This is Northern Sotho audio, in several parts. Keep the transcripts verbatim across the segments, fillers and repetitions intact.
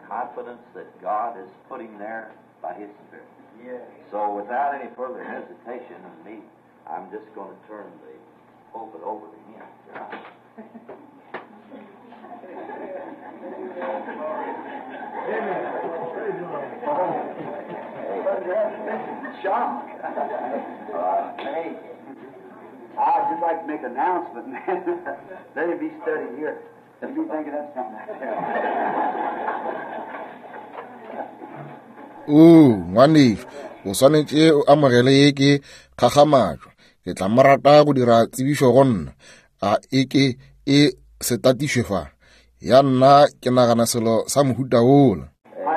Confidence that God is putting there by His Spirit. So without any further hesitation of me, I'm just going to turn the pulpit over to him. Shock. Uh, hey, I'd just like to make an announcement, man. Let it be studied here. Let me think of that something. O ngwanešu, o swanetše o amogele ye ke kgakgamatšo. Ke tla mo rata go dira tsebišo go nna. A e ke e se tatišwe fa. Ya nna ke nagana selo sa mohuta wola.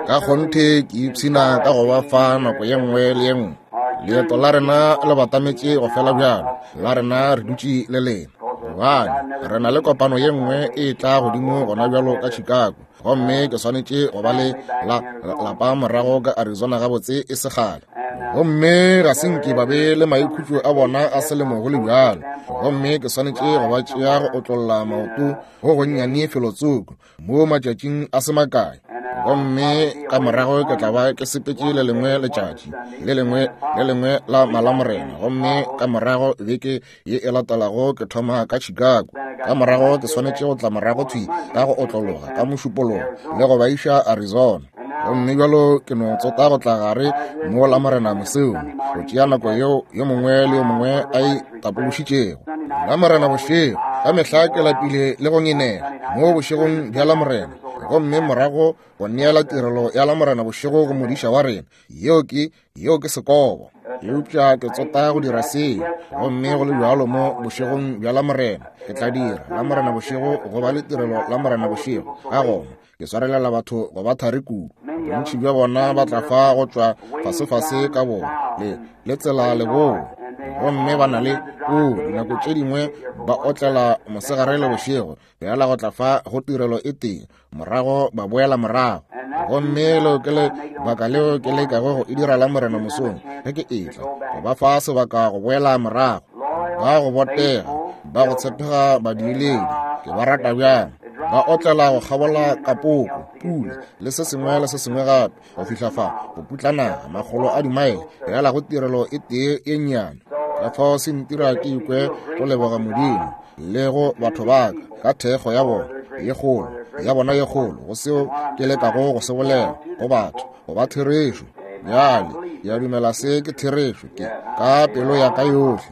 Ka kgonthe ke ipshina ka go ba fa nako ye nngwe le ye nngwe. Leeto la rena le batametše go fela bjalo, la rena re dutše le lena. Gobane re na le kopano ye nngwe e tla godimo gona bjalo ka Chicago, gomme ke swanetše go ba le la lapa morago ka Arizona gabotse e se kgale. Gomme ga se nke ba be le maikhutšo a bona a selemo go le bjalo, gomme ke swanetše go ba tšea go otlolla maoto go gonnyane felotsoko mo matšatšing a se makae. Gomme ka morago ke tla ba ke sepetše le lengwe letšatši le lengwe le lengwe la Malamorena, gomme ka morago beke ye e latelago ke thoma ka Chicago. Ka morago ke swanetše go tla morago thwi ka go otlologa ka Mošupologo le go ba iša Arizona. Gomme bjalo ke no tsota go tla gare mo Lamorena mosong go tšea nako yeo yo mongwe le yo mongwe a e tapološitšego. Lamorena bošego ka mehla ke lapile le go ngenela mo bošegong bja Lamorena, gomme morago go neela tirelo ya Lamorena bošego go modiša wa rena. Yeo ke yeo ke sekobo, eupša ke tsota go dira seo. Gomme go le bjalo mo bošegong bja Lamorena ke tla dira Lamorena bošego go ba le tirelo Lamorena bošego. Ka gona ke swarelela batho go ba thari kudu. Bontši bja bona ba tla fa go tšwa fasefase ka bona le le tsela leboa, gomme ba na le o dinako tše dingwe ba otlela mosegare le bošego bjala go tla fa go tirelo e tee, morago ba boela morago. Gomme leo ke lebaka leo ke lekago go e dira Lamorena mosong ge ke etla, go ba fa sebaka go boela morago. Ba go botega, ba go tshepega badiiledi, ke ba rata bjang. Ba otlela go kgabola kapoko, pula le se sengwe le se sengwe gape go fihla fa go putla naga makgolo a dimaele bjala go tirelo e tee e nnyane. Ka fao se ntira ke ikwe go leboga Modimo le go batho ba ka ka thekgo ya bona ye kgolo ya bona ye kgolo go seo ke lekago go se bolela go batho go ba therešo. Bjale ke a dumela se ke therešo ke ka pelo ya ka yohle.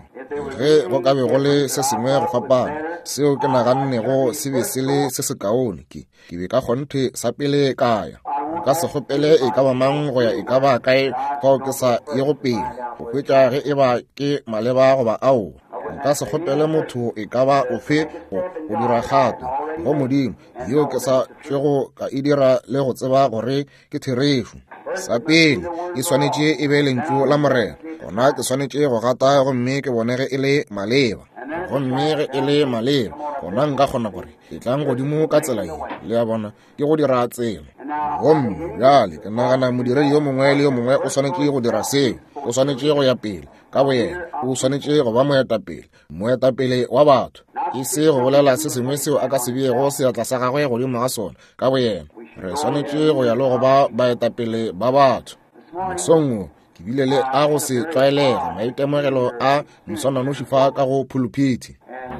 Ge go ka be go le se sengwe go fapana seo ke nagannego se be se le se sekaone, ke ke be ka kgonthe sa pele ka ya. Nka se kgopele e ka ba mang go ya e ka ba kae fao ke sa ye go pele go hwetša ge e ba ke maleba goba aowa. Nka se kgopele motho e ka ba ofe go go dira kgato go Modimo yeo ke sa tšwego ka e dira le go tseba gore ke therešo. Sa pele e swanetše e be lentšu la Morena, gona ke swanetše go gata gomme ke bone ge e le maleba. Gomme ge e le maleba, gona nka kgona gore e tlang godimo ka tsela ye. Le a bona, ke go dira tsela. Gomme bjale ke nagana modiredi yo mongwe le yo mongwe o swanetše go dira seo. O swanetše go ya pele ka boyena, o swanetše go ba moetapele, moetapele wa batho, e se go bolela se sengwe seo a ka se beego seatla sa gagwe godimo ga sona ka boyena. Re swanetše go ya le go ba baetapele ba batho. Mosong wo ke bile le a go se tlwaelege maitemogelo a moswananoši fa ka go phuluphithi,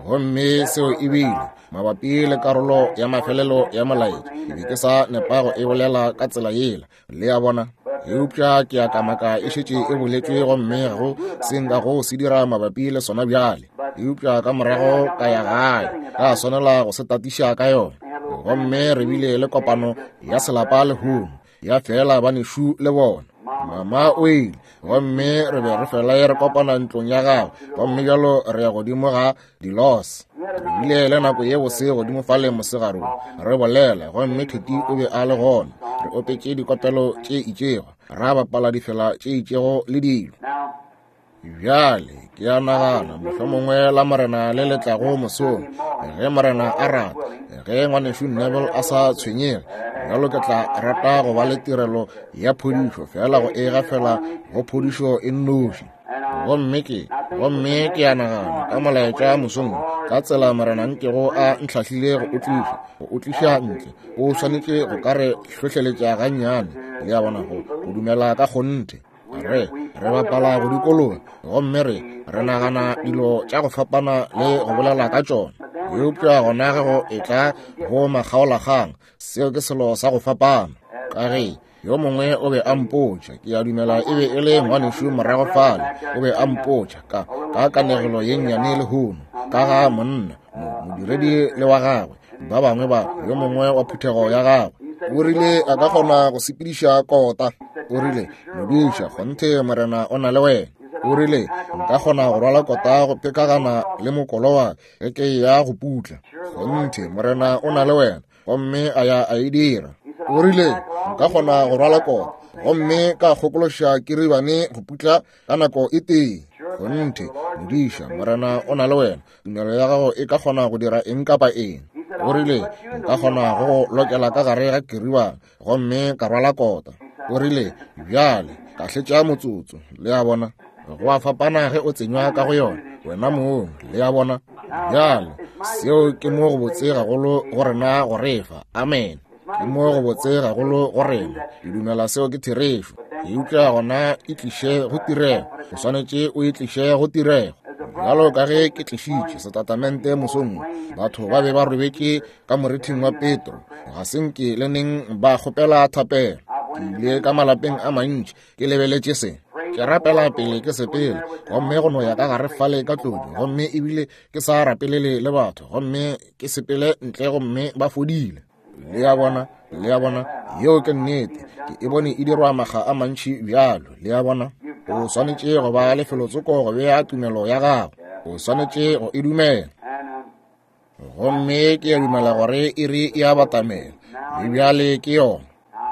gomme seo e bile mabapi le karolo ya mafelelo ya molaetša. Ke be ke sa nepa go e bolela ka tsela yela, le a bona, eupša ke a kamaka e šetše e boletšwe, gomme ga go se nka go se dira mabapi le sona bjale. Eupša ka morago ka ya gae ka swanela go se tatiša ka yona. Gomme re bile le kopano ya selapa lehono ya fela banešu le bona. Mama o ile, gomme re be re fela re kopana ntlong ya gagwe, gomme bjalo re ya godimo ga dilos. Re bile le nako ye bose godimo fale mosegarong re bolela, gomme Theti o be a le gona. Re opetše dikopelo tše itšego, ra bapala difela tše itšego le dilo. Bjale ke a nagana mohlomongwe Lamorena le le tlago mosong, ge Morena a rata, ge ngwanešu Neville a sa tshwenyege, bjalo ke tla rata go ba le tirelo ya phodišo, fela go e gafela go phodišo e nnoši. Gomme ke, gomme ke a nagana ka molaetša mosong, ka tsela Morena nkego a ntlhahlile go o tliša, go o tliša ntle, o swanetše go ka re hlohleletša gannyane, le a bona, go, go dumela ka kgonthe. Re, re bapala go dikologa, gomme re, re nagana dilo tša go fapana le go bolela ka tšona. Eupša gona ge go etla go makgaolakgang, seo ke selo sa go fapana. Ka ge yo mongwe o be a mpotša, ke a dumela e be e le ngwanešu morago fale, o be a mpotša ka, ka kanegelo ye nnyane lehono, ka ga monna, modiredi le wa gagwe, ba bangwe ba, yo mongwe wa phuthego ya gagwe. O rile a ka kgona go sepediša kota. O rile, modiša, kgonthe Morena o na le wena. O rile, nka kgona go rwala kota go pekagana le mokolo wa ge ke ya go putla. Kgonthe Morena o na le wena. Gomme a ya a e dira. O rile, nka kgona go rwala kota gomme ka kgokološa kiribane go putla ka nako e tee. Kgonthe modiša, Morena o na le wena. Tumelo ya gago e ka kgona go dira eng kapa eng. O rile, nka kgona go lokela ka gare ga kiribane gomme ka rwala kota. O rile, bjale ka hletša motsotso. Le a bona, go a fapana ge o tsenywa ka go yona wena mong. Le a bona, bjale seo ke mo go botse gagolo go rena go refa. Amen. Ke mo go botse gagolo go rena. Ke dumela seo ke therešo. Eupša gona e tliše go tirego. O swanetše o e tliše go tirego. Bjalo ka ge ke tlišitše setatamente mosong, batho ba be ba robetše ka morithing wa Petro, ga se nke le neng ba kgopela thapelo. Ke ile ka malapeng a mantši ke lebeletše se. Ke rapela pele ke sepele, gomme go no ya ka gare fale ka tlodi, gomme ebile ke sa rapelele le batho, gomme ke sepele ntle gomme ba fodile. Le a bona, le a bona, yeo ke nnete. Ke e bone e dirwa makga a mantši bjalo. Le a bona, o swanetše go ba lefelotsoko go bea tumelo ya gago. O swanetše go e dumela. Gomme ke a dumela gore iri e a batamela, le bjale ke yona.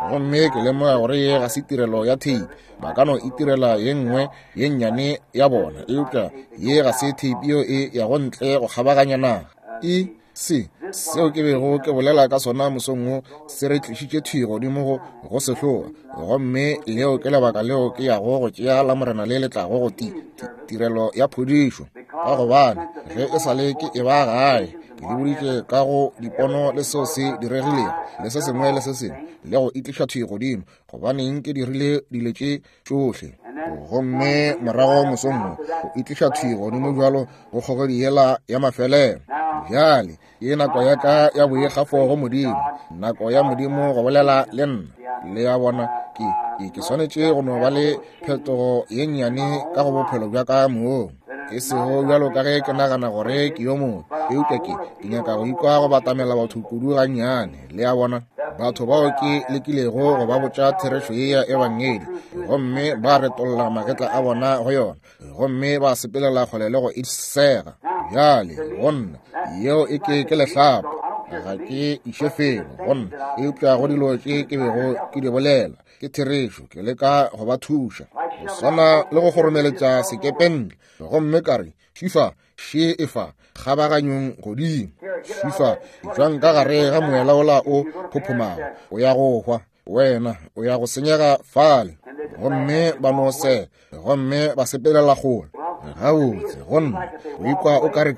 Gomme ke lemoga gore ye ga se tirelo ya tape. Ba ka no itirela ye nngwe ye nnyane ya bona, eupša ye ga se tape yeo e yago ntle go kgabaganya naga. E se seo ke bego ke bolela ka sona mosong wo se re tlišitše thwi godimo go go sehloa, gomme leo ke lebaka leo ke yago go tšea la Morena le le tlago go ti, ti, tirelo ya phodišo. Ka gobane ge e sa le ke e ba gae, ke le boditše ka go dipono le seo se diregilego le se sengwe le se sengwe, le go itliša thwi godimo, gobaneng ke dirile dilo tše tšohle. Gomme morago mosong wo go itliša thwi godimo bjalo go kgogedi yela ya mafelelo. Bjale ke nako ya ka ya boikgafo go Modimo, nako ya Modimo go bolela le nna. Le a bona, ke, ke, ke swanetše go no ba le phetogo ye nnyane ka go bophelo bja ka mong. E sego bjalo ka ge ke nagana gore ke yo mongwe, eupša ke, ke nyaka go ikwa go batamela batho kudu gannyane. Le a bona, batho bao ke lekilego go ba botša therešo ye ya ebangedi, gomme ba retolla magetla a bona go yona, gomme ba sepelela kgole le go e sega. Bjale go nna yeo e ke ke lehlapa, ga ke iše felo go nna, eupša go dilo tše ke bego ke di bolela ke therešo. Ke leka go ba thuša, go swana le go kgoromeletša sekepe ntle, gomme ka re, šifa še efa kgabaganyong godimo, šifa jwang ka gare ga moela ola o phophomago, o ya go hwa wena, o ya go senyega fale. Gomme ba no se, gomme ba sepelela kgole. Gabotse go nna o ikwa o ka re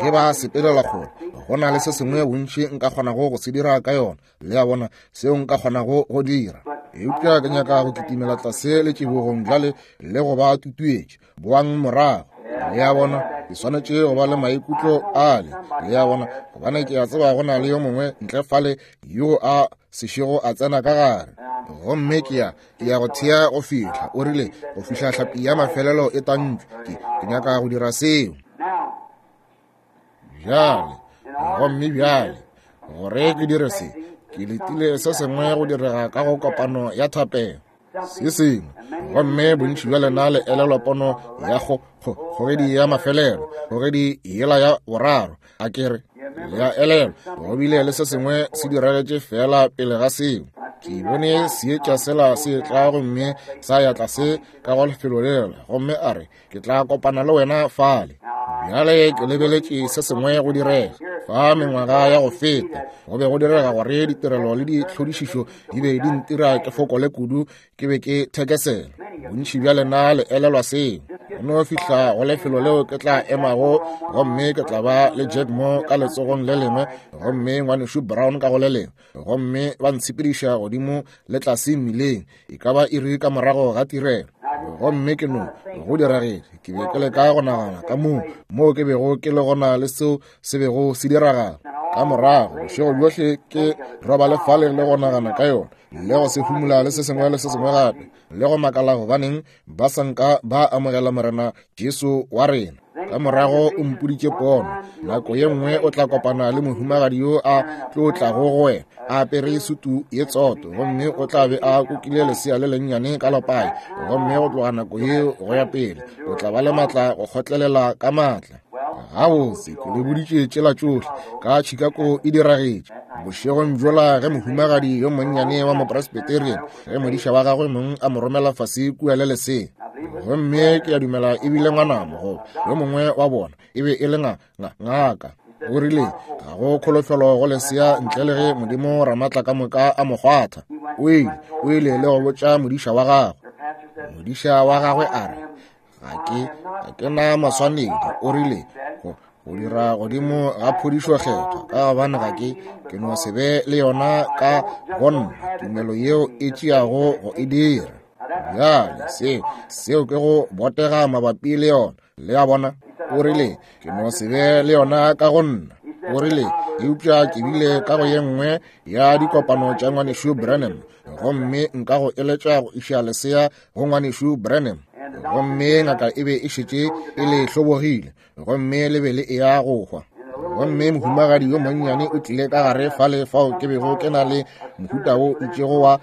ge ba sepelela kgole, go na le se sengwe bontši nka kgonago go se dira ka yona. Le a bona, seo nka kgonago go dira. Eupša ke nyaka go kitimela tlase letšibogong bjale le go ba tutuetše, boang morago. Le a bona, ke swanetše go ba le maikutlo ale. Le a bona, gobane ke a tseba go na le yo mongwe ntle fale yo a sešego a tsena ka gare. Gomme ke ya, ke ya go thea go fihla, o rile, go fihla hlapi ya mafelelo e tantšwe. Ke, ke nyaka go dira seo. Bjale, gomme bjale, gore ke dire se, ke letile se sengwe go direga ka go kopano ya thapelo. Se sengwe, gomme bontši bja lena le elelwa pono ya go, go, kgogedi ya mafelelo, kgogedi yela ya boraro. A ke re, le a elelwa, go bile le se sengwe se diragetše fela pele ga seo. Ke bone seetša sela se tla gomme sa ya tlase ka go lefelo lela, gomme a re, ke tla kopana le wena fale. Bjale ke lebeletše se sengwe go direga. Fa mengwaga ya go feta, go be go direga gore ditirelo le ditlhodišišo di be di ntira ke fokole kudu, ke be ke thekesela. Bontši bja lena le elelwa seo. Go no fihla go lefelo leo ke tla emago, gomme ke tla ba le Jack mo ka letsogong le lengwe, gomme ngwanešu Brown ka go le lengwe, gomme ba ntshepediša godimo le tlase mmileng, e ka ba iri ka morago ga tirelo. Gomme ke no go diragetše, ke be ke leka go nagana ka moo moo ke bego ke le gona le seo se bego se diragala. Ka morago bošego bjohle ke robale fale le go nagana ka yona, le go se humula le se sengwe le se sengwe gape, le go makala gobaneng ba sa nka ba amogela Morena Jesu wa rena. Ka morago o mpoditše pono, nako ye nngwe o tla kopana le mohumagadi yo a tlo tlago go wena a apere sutu ye tsoto, gomme o tla be a kukile lesea le lennyane ka lepai, gomme go tloga nako yeo go ya pele o tla ba le maatla go kgotlelela ka maatla. Gabotse ke le boditše tšela tšohle ka Chicago e diragetše. Bošegong bjola ge mohumagadi yo monnyane wa mopresbyterian, ge modiša wa gagwe mong a mo romela fase kua le lesea, gomme ke a dumela e bile ngwanabo goba yo mongwe wa bona e be e le ngaka, o rile ga go kholofelo go lesea ntle le ge Modimo Ramatla ka moka a mo kgwatha. O ile o ile le go botša modiša wa gagwe. Modiša wa gagwe a re, ga ke ga ke na maswanedi, o rile go go dira godimo ga phodišo kgethwa, ka gobane ga ke ke no se be le yona ka go nna tumelo yeo e tšeago go e dira. Bjale seo seo ke go botega mabapi le yona. Le a bona? O rile ke no se be le yona ka go nna. O rile eupša ke bile ka go ye nngwe ya dikopano tša ngwanešu Branham, gomme nka go eletša go iša lesea go ngwanešu Branham. Gomme ngaka e be e šetše e le hlobogile, gomme le be le eya go hwa. Gomme mohumagadi yo monnyane o tlile ka gare fale fao ke bego ke na le mohuta wo itšego wa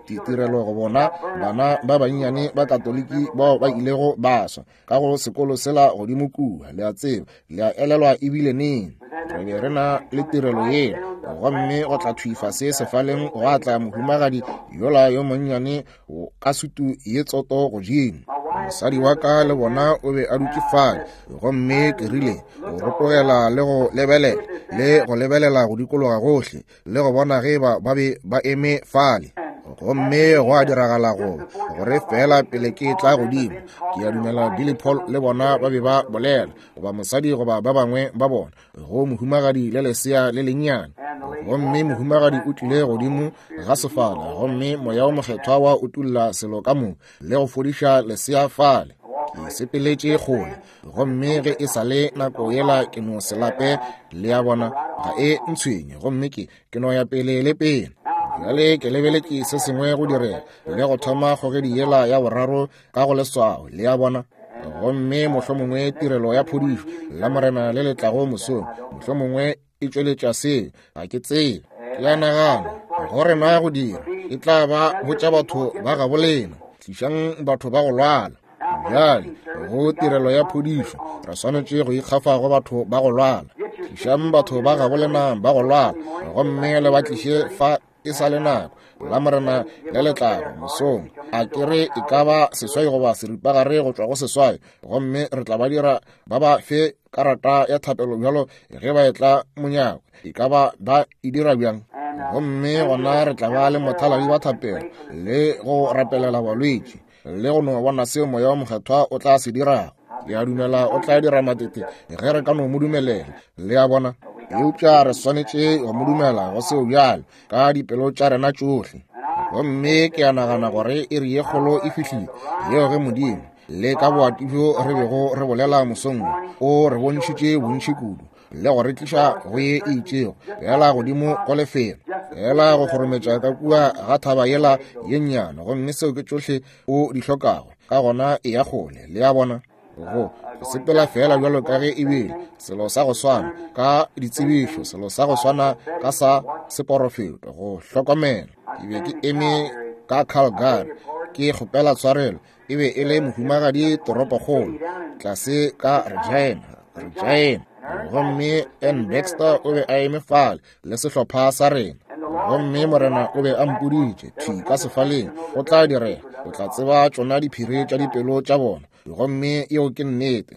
tirelo go bona bana ba bannyane ba Katoliki bao ba ilego ba swa ka go sekolo sela godimo kua. Le a tseba, le a elelwa ebile neng re be re na le tirelo yeo. Gomme go tla thwi fase sefaleng gwa tla mohumagadi yola yo monnyane ka sutu ye tsoto godimo. Mosadi wa ka le bona o be a dutše fale, gomme ke rile go rotogela le go lebelela le go lebelela go dikologa gohle le go bona ge ba ba be ba eme fale. Gomme go a diragala go gore fela pele ke tla godimo, ke a dumela Billy Paul le bona ba be ba bolela, goba mosadi goba ba bangwe ba bona, go mohumagadi le lesea le lennyane. Gomme mohumagadi o tlile godimo ga sefala, gomme moya o mokgethwa wa utulla selo ka mo le go fodiša lesea fale. Ke sepeletše kgole, gomme ge e sa le nako yela ke no se lape, le a bona, ga e ntshwenye, gomme ke ke no ya pele le pele. Bjale ke lebeletše se sengwe go direga le go thoma kgogedi yela ya boraro ka go leswao, le a bona. Gomme mohlomongwe tirelo ya phodišo la Morena le le tlago mosong, mohlomongwe e tšweletša seo, ga ke tsebe. Ke a nagana go rena go dira e tla ba botša batho ba gabo lena, tlišang batho ba go lwala. Bjale go tirelo ya phodišo re swanetše go ikgafa go batho ba go lwala. Tlišang batho ba gabo lena ba go lwala, gomme le ba tliše fa e sa le nako la Morena le le tlago mosong. A ke re e ka ba seswai goba seripagare go tšwa go seswai, gomme re tla ba dira ba ba fe karata ya thapelo bjalo ge ba etla monyako, e ka ba ba e dira bjang. Gomme gona re tla ba le mothaladi wa thapelo le go rapelela balwetši le go no bona seo moya wa mokgethwa o tla se dirago. Le a dumela o tla dira matete ge re ka no mo dumelela, le a bona. Eupša re swanetše go mo dumela go seo bjalo ka dipelo tša rena tšohle. Gomme ke a nagana gore iri ye kgolo e fihlile yeo ge Modimo le ka boati bjo re bego re bolela mosong o re bontšhitše bontši kudu le go re tliša go ye e itšego fela godimo go lefelo fela go kgorometša ka kua ga thaba yela ye nnyane, gomme seo ke tšohle o di hlokago. Ka gona e ya kgole, le a bona. Go sepela fela bjalo ka ge e bile selo sa go swana ka ditsebišo, selo sa go swana ka sa seporofeto, go hlokomela. Ke be ke eme ka Calgary ke kgopela tshwarelo, e be e le mohumagadi toropokgolo tlase ka Regina, Regina. Gomme N. Baxter o be a eme fale le sehlopha sa rena. Gomme Morena o be a mpoditše thwi ka sefaleng, go tla direga, o tla tseba tšona diphiri tša dipelo tša bona. Gomme yeo ke nnete.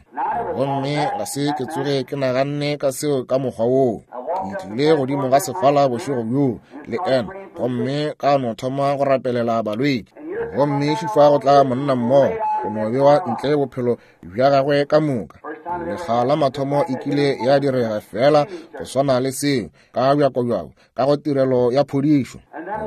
Gomme ga se ke tsoge ke naganne ka seo ka mokgwa woo. Ke tlile godimo ga sefala bošego bjoo le Ann, gomme ka no thoma go rapelela balwetši. Gomme šifa go tla monna mmogo, go no bewa ntle bophelo bja gagwe ka moka. Lekga la mathomo e kile ya direga fela go swana le seo ka bjakobjako ka go tirelo ya phodišo.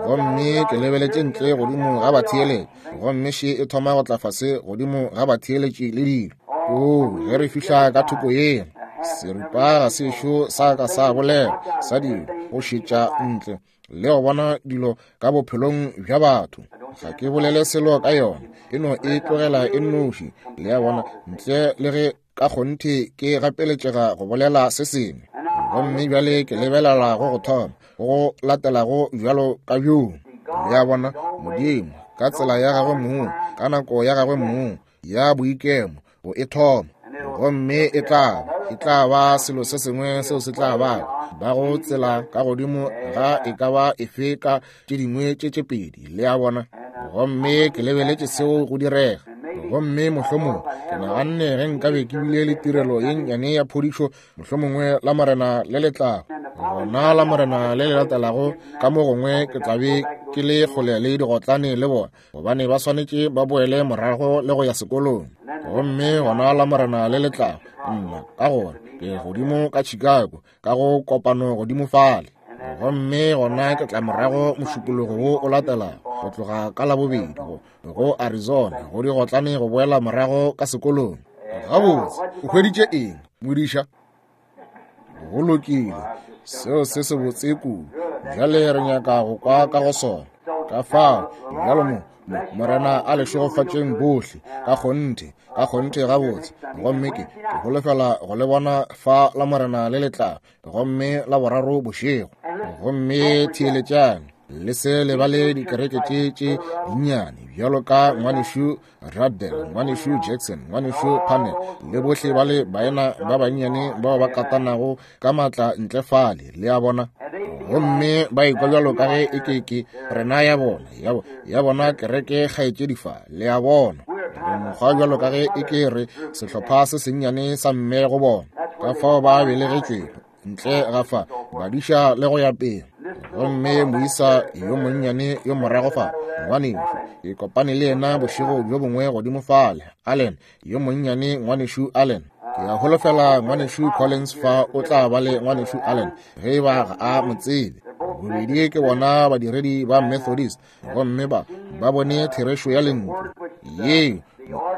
Gomme ke lebeletše ntle godimo ga batheeletši, gomme še e thoma go tla fase godimo ga batheeletši le dilo. Oo, ge re fihla ka thoko yena, seripa ga sešo sa ka sa bolela sa dilo go šetša ntle le go bona dilo ka bophelong bja batho. Ga ke bolele selo ka yona, e no e tlogela e nnoši, le a bona, ntle le ge ka kgonthe ke gapeletšega go bolela se sengwe. Gomme bjale ke lebelela go go thoma go latelago bjalo ka bjoo. Le a bona, Modimo ka tsela ya gagwe mong, ka nako ya gagwe mong ya boikemo, go e thoma. Gomme e tla e tla ba selo se sengwe seo se tla ba ba go tsela ka godimo ga e ka ba efe ka tše dingwe tše tše pedi, le a bona. Gomme ke lebeletše seo go direga. Gomme mohlomongwe ke naganne ge nkabe ke bile le tirelo ye nnyane ya phodišo, mohlomongwe la Morena le le tlago, gona la Morena le le latelago, ka mo gongwe ke tla be ke le kgole le digotlane le bona, gobane ba swanetše ba boele morago le go ya sekolong. Gomme gona la Morena le le tlago, nna ka gore ke godimo ka Chicago ka go kopano godimo fale. Gomme gona ke tla morago mošupologo wo o latelago, go tloga ka Labobedi go go Arizona, go digotlane go boela morago ka sekolong. Gabotse, o hweditše eng, modiša? Go lokile, seo se se botse kudu. Bjale re nyaka go kwa ka go sona. Ka fao, bjalo mo, Morena a le šegofatšeng bohle, ka kgonthe, ka kgonthe gabotse. Gomme ke, ke holofela go le bona fa la Morena le le tlago, gomme la boraro bošego. Gomme theeletšang, le se lebale dikereke tše tše dinnyane, bjalo ka ngwanešu Ruddell, ngwanešu Jackson, ngwanešu Parnell, le bohle ba le baena ba bannyane bao ba katanago ka matla ntle fale, le a bona. Gomme ba ikwa bjalo ka ge e ke ke rena ya bona, ya, ya bona kereke kgaetšedi fa, le a bona. Re mokgwa bjalo ka ge e ke re sehlopha se sennyane sa mme go bona, ka fao ba belegetšwego ntle ga fa, badiša le go ya pele. Gomme moisa yo monnyane yo morago fa, ngwanešu, ke kopane le yena bošego bjo bongwe godimo fale, Allen, yo monnyane ngwanešu Allen. Ke a holofela ngwanešu Collins fa o tla ba le ngwanešu Allen, ge e ba ga a mo tsebe. Bobedi ke bona badiredi ba Methodist, gomme ba ba bone therešo ya lentšu yeo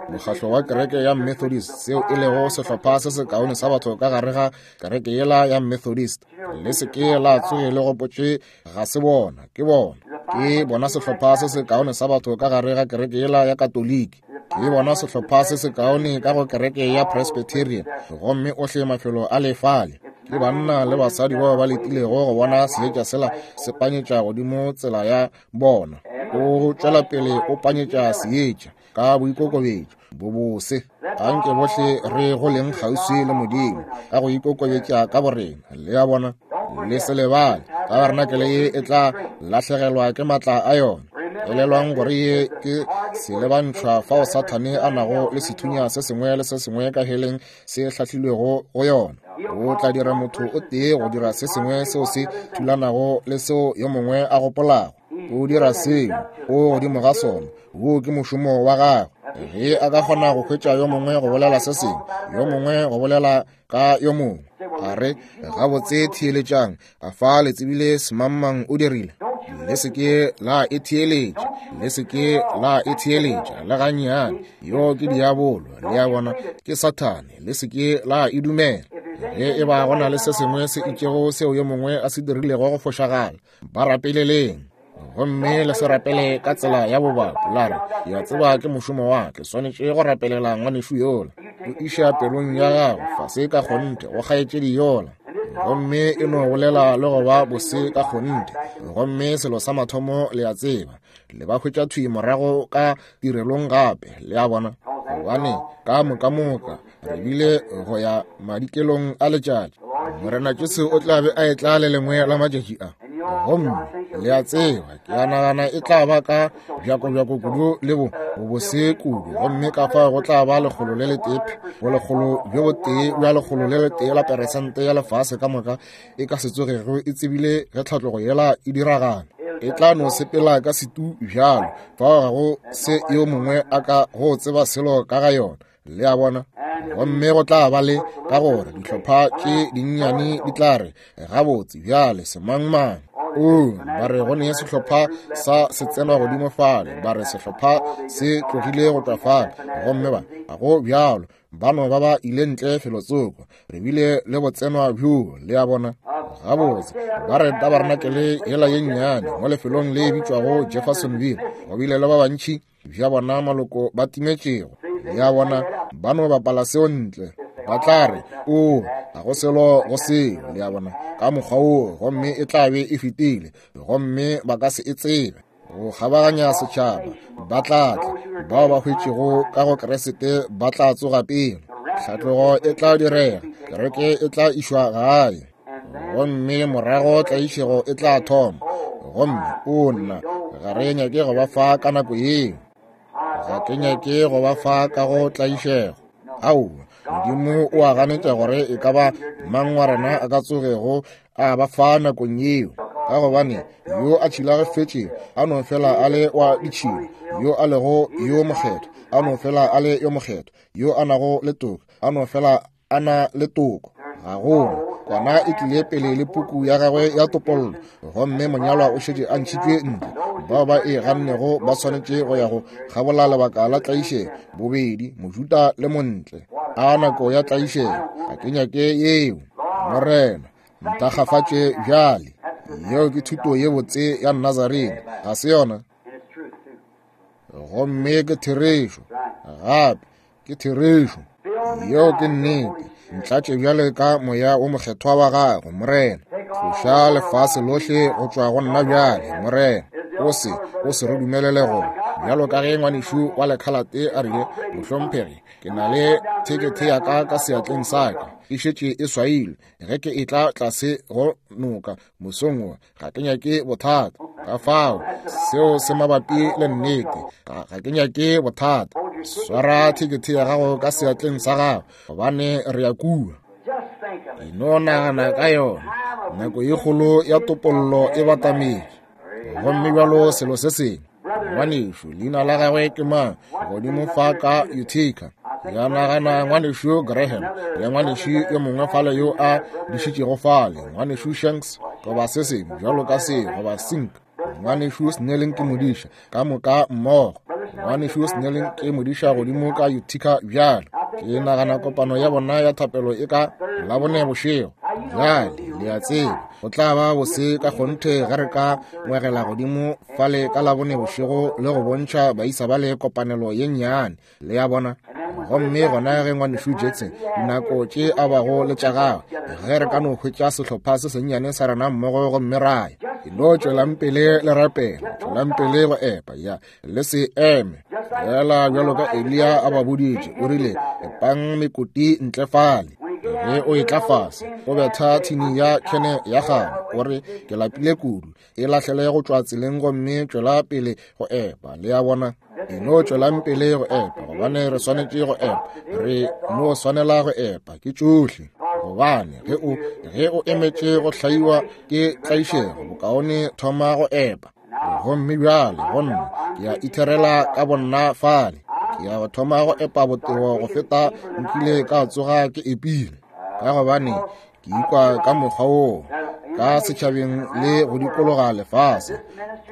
mokgahlo wa kereke ya Methodist, seo e lego sehlopha se sekaone sa batho ka gare ga kereke yela ya Methodist. Le se ke la tsoge le gopotše ga se bona, ke bona. Ke bona sehlopha se sekaone sa batho ka gare ga kereke yela ya Katoliki. Ke bona sehlopha se sekaone ka go kereke ya Presbyterian, gomme ohle mafelo a lefale. Ke banna le basadi bao ba letilego go bona seetša sela se panyetša godimo tsela ya bona. O tšwela pele o panyetša seetša ka boikokobetšo bobose. Anke bohle re go leng kgauswi le Modimo ka go ikokobetša ka borena, le a bona. Le se lebale, tabernacle ye e tla lahlegelwa ke matla a yona. Elelwang gore ye ke selebantšhwa fao Sathane a nago le sethunya se sengwe le se sengwe ka heleng se hlahlilwego go yona. O tla dira motho o tee go dira se sengwe seo se thulanago le seo yo mongwe a gopolago. O dira seo, o godimo ga sona, wo ke mošomo wa gagwe. Ge a ka kgona go hwetša yo mongwe go bolela se sengwe, yo mongwe go bolela ka yo mongwe, a re, gabotse theeletšang, a fa le tsebile semangmang o dirile. Le se ke la e theeletša, le se ke la e theeletša le gannyane. Yo ke diabolo, le a bona, ke Sathane, le se ke la e dumela. Ge e ba go na le se sengwe se itšego seo yo mongwe a se dirilego go fošagala, ba rapeleleng. Gomme le se rapele ka tsela ya bobapo, la re, ke a tseba ke mošomo wa ke swanetše go rapelela ngwanešu yola. O iša pelong ya gago fase ka kgonthe go kgaetšedi yola, gomme e no bolela le go ba bose ka kgonthe. Gomme selo sa mathomo le a tseba, le ba hwetša thwi morago ka tirelong gape, le a bona. Gobane ka moka moka re bile go ya madikelong a letšatši. Morena Jesu o tla be a etla le lengwe la matšatši a. Gomme le a tseba, ke a nagana e tla ba ka bjakobjako kudu le bo bobose kudu, gomme ka fao go tla ba lekgolo le letee bo lekgolo bjo botee bja lekgolo le letee la peresente ya lefase ka moka e ka se tsogego e tsebile ge tlhatlogo yela e diragala. E tla no sepela ka setu bjalo, fao ga go se yo mongwe a ka go tseba selo ka ga yona. Le a bona? Gomme go tla ba le ka gore dihlopha tše dinnyane di tla re gabotse bjale semangmang. O ba re go ne sehlopha sa se tsenwa godimo fale, ba re sehlopha se tlogile go tšwa fale, gomme ba ga go bjalo, ba no ba ba ile ntle felotsoko. Re bile le botsenwa bjo, le a bona? Gabotse ba re tabarenakele yela ye nnyane mo lefelong le bitšwago Jeffersonville, go bile le ba bantši bja bona maloko ba timetšego. Le a bona? Ba no bapala seo ntle, ba tla re o ga go selo go seo, le a bona, ka mokgwa woo, gomme e tla be e fetile, gomme ba ka se e tsebe. Go kgabaganya setšhaba ba tla tla, bao ba hwetšego ka go Kriste ba tla tsoga pele. Tlhatlogo e tla direga, kereke e tla išwa gae, gomme morago tlaišego e tla thoma. Gomme o nna ga re nyake go ba fa ka nako yeo, ga ke nyake go ba fa ka go tlaišego. Aowa, Modimo o a ganetša gore e ka ba mang wa rena a ka tsogego a ba fa nakong yeo, ka gobane yo a tšhilafetšego a no fela a le wa ditšhila, yo a lego yo mokgethwa a no fela a le yo mokgethwa, yo a nago le toko a no fela a na le toko. Ga gona kwana e tlile pele le puku ya gagwe ya topollo, gomme monyalwa o šetše a ntšhitšwe ntle. Bao ba e gannego ba swanetše go ya go kgabola lebaka la tlaišego, bobedi Mojuda le montle. A nako ya tlaišego, ga ke nyake yeo. Morena ntakgafatše bjale. Yeo ke thuto ye botse ya Nazarene, ga se yona? Gomme ke therešo, gape ke therešo. Yeo ke nnete. Ntlatše bjale ka moya wo mokgethwa wa gago, Morena. Tloša lefase lohle go tšwa go nna bjale, Morena. O se, o se re dumelele go bjalo ka ge ngwanešu wa lekhalate a rile, mohlomphegi, ke na le thekethe ya ka ka seatleng sa ka, e šetše e swailwe. Ge ke etla tlase go noka mosong wo, ga ke nyake bothata. Ka fao seo se mabapi le nnete, ga ke nyake bothata. Swara thekethe ya gago ka seatleng sa gago, gobane re ya kua. E no nagana ka yona, nako ye kgolo ya topollo e batametše. Gomme bjalo selo se sengwe, ngwanešu leina la gagwe ke mang godimo fa ka Utica? Ya nagana ngwanešu Graham le ngwanešu yo mongwe fale yo a dišitšego fale, ngwanešu Shanks goba se sengwe bjalo ka se, goba Sink. Ngwanešu Snelling ke modiša ka moka mmogo. Ngwanešu Snelling ke modiša godimo ka Utica bjalo. Ke nagana kopano ya bona ya thapelo e ka Labone bošego. Bjale le a tseba, go tla ba bose ka kgonthe ge re ka ngwegela godimo fale ka Labone bošego le go bontšha baisa ba le kopanelo ye nnyane, le a bona. Gomme gona ge ngwanešu Jackson dinako tše a bago le tša gagwe, ge re ka no hwetša sehlopha se sennyane sa rena mmogo gomme ra ya. E no tšwelang pele le rapela, tšwelang pele go epa, ya le se eme. Fela bjalo ka Eliya a ba boditše, o rile, epang mekoti ntle fale. Ge o etla fase, o betha thini ya khene ya gago, o re ke lapile kudu, e lahlele go tšwa tseleng gomme tšwela pele go epa. Le a bona? E no tšwelang pele go epa, gobane re swanetše go epa, re no swanela go epa, ke tšohle. Gobane ge o ge o emetše go hlaiwa ke tlaišego, bokaone thoma go epa. Gomme bjale go nna, ke a itherela ka bonna fale, ke ya go thoma go epa botebo go feta nkile ka tsoga ke epile, ka gobane ke ikwa ka mokgwa woo ka setšhabeng le go dikologa lefase,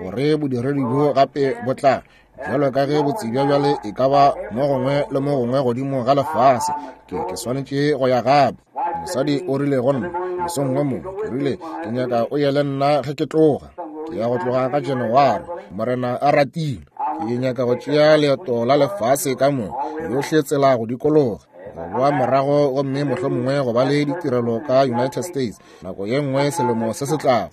gore bodiredi bjo gape bo tla bjalo ka ge botsebja bjale e ka ba mo gongwe le mo gongwe godimo ga lefase. Ke ke swanetše go ya gape. Mosadi o rile go nna mosong wo mongwe, ke rile ke nyaka o ye le nna ge ke tloga. Ke ya go tloga ka January, Morena a ratile. Ke nyaka go tšea leeto la lefase ka moka, yohle tsela go dikologa, go boa morago, gomme mohlomongwe go ba le ditirelo ka United States nako ye nngwe selemo se se tlago.